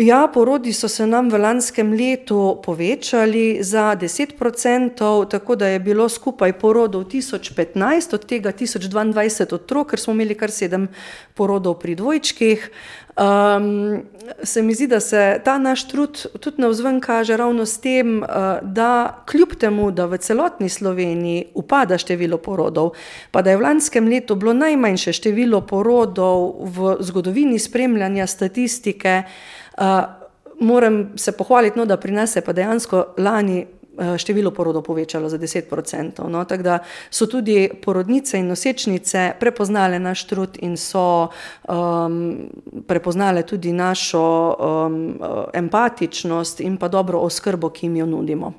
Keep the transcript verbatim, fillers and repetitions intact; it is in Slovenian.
Ja, porodi so se nam v lanskem letu povečali za deset procentov, tako da je bilo skupaj porodov tisoč petnajst, od tega tisoč dvaindvajset otrok, ker smo imeli kar sedem porodov pri dvojčkih. Um, se mi zdi, da se ta naš trud tudi navzven kaže ravno s tem, da kljub temu, da v celotni Sloveniji upada število porodov, pa da je v lanskem letu bilo najmanjše število porodov v zgodovini spremljanja statistike, uh, moram se pohvaliti, no, da pri nas se pa dejansko lani število porodov povečalo za deset procentov. No, tako da so tudi porodnice in nosečnice prepoznale naš trud in so um, prepoznale tudi našo um, empatičnost in pa dobro oskrbo, ki jim jo nudimo.